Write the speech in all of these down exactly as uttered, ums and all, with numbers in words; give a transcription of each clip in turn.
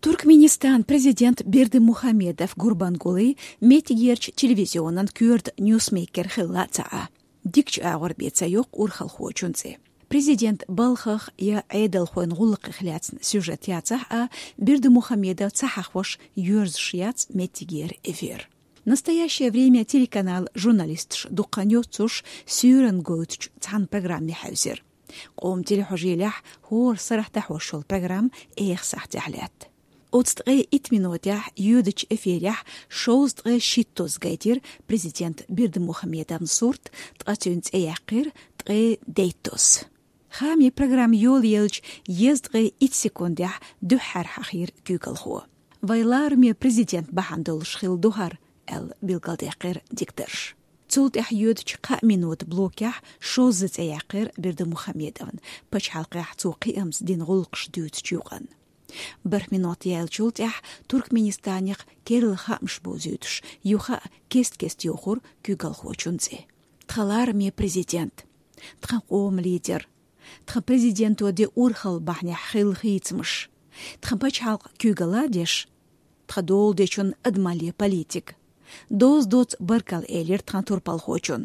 Туркменистанан президент Бердымухамедов Гурбангулы меттигерча телевизионан коьрта ньюсмейкер хилла ца Ӏа. Дикача агӀор бен ца йоаккх урхалхочун цӀи. Президента балхах я Ӏедалхойн гӀулакхех лаьцна сюжет яцахь а, Бердымухамедов ца хьахош йоьрзуш яц меттигера эфир. «Настоящее время» телеканала журналисташ дукха хан йоццуш суьйрана гойтучу цхьана программе хьаьвзира. Къоман телехьожийлехь хӀора сарахь дӀахьош йолу программа эха сахьтехь лаьтта. Оцу ткъе итт минотехь йоьдучу эфирехь шовзткъе шиттозза гайтира президент Бердымухамедовн сурт, ткъа цуьнан цӀе яьккхира ткъе дейттозза. Хаамийн программа йолаелча, езткъе итт секундехь дуьххьара хьахийра куьйгалхо. «Вайн лараме президент бахьана долуш хилла ду хӀара», — аьлла, билгалдаьккхира дикторша. Цул тӀаьхьа йоьдучу кхаа минотан блокехь шозза цӀе яьккхира Бердымухамедовн, пачхьалкхехь цо кхиамца дина гӀуллакхаш дуьйцучу юкъанна. БархӀ минот яьллачул тӀаьхьа Туркменистанех керла хаамаш бовзуьйтуш, юха а кест-кеста йохура куьйгалхочун цӀе. Тхан лараме президент, тхан къоман лидер, тхан президенто дина урхалла бахьанехь хилла хийцамаш, тхан пачхьалкх куьйгалла а деш, тхан долу дечун адамалле политика, доза доцу баркалла элира тхан турпалхочун,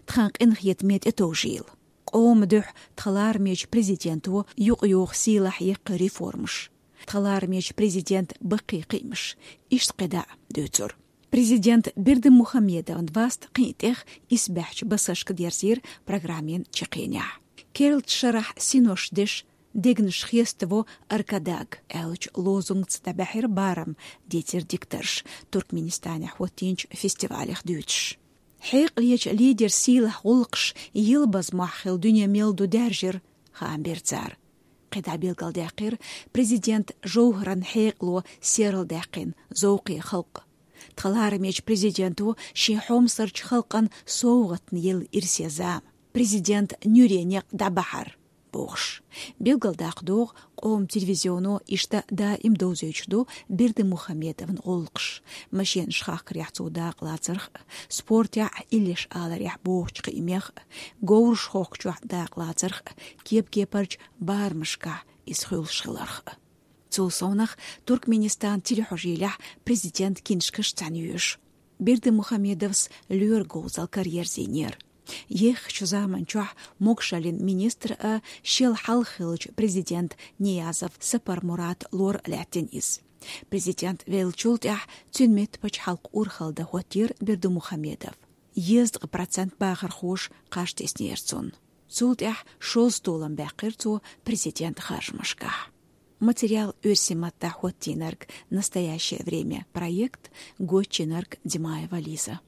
тхан къинхетаме тӀетовжийла. Къоман дуьхьа тхан ларамечу президенто юкъайоху сийлахь яккхий реформаш. Тхан ларамечу президентан баккхий кхиамаш, иштта кхидӀа а дуьйцура. Президент Бердымухамедовн васт кхин а тӀех исбаьхьчу басашка дерзийра программин чаккхенехь. Керлачу шарахь синош деш, дегнаш хеставо «Аркадаг» аьллачу лозунгца дӀабаьхьира барам, дийцира дикторша Туркменистанехь хӀоттийначу фестивалех дуьйцуш. Хьекъалечу лидеран сийлахь гӀуллакхаш елабаза мохь хилла дуьне мел ду даьржира, хаам бира цара. КхидӀа билгалдаьккхира президентан жовхӀаран хьекъало серладаьккхина зовкхе халкъ. Тхан ларамечу президенто шен хьомсарчу халкъана совгӀатна елла ирсе зама. Президентан нуьре некъ дӀабахьар, бохуш. Билгалдаккха догӀу, къоман телевизионо иштта даим довзуьйтуш ду Бердымухамедовн гӀуллакхаш. Машенаш хахкарехь цо дакъалацарх а, спортехь а, иллеш аларехь бохучу кхиамех а, говраш хохкучохь дакъалацарх а, кеп-кепарчу барамашкахь иза хуьлуш хиларх а. Цул совнах Туркменистанан телехьожийлехь президентан киншкаш цхьаьна йоьшу. Бердымухамедовс лоьран говзалла караерзийнера. Еххачу заманчохь могушаллин министр а, шел хьалха хиллачу президентан Ниязов Сапармурата лор а лаьттина иза. Президент веллачул тӀаьхьа цуьнан метта пачхьалкх урхалла дан хӀоттийра Бердымухамедов. Езткъа процент бахархоша кхаж теснера цунна. Цул тӀаьхьа шозза толам баьккхира цо президентан харжамашкахь. Материал оьрсийн маттахь хӀоттийнарг «Настоящее время» проект, гочйинарг Димаева Лиза.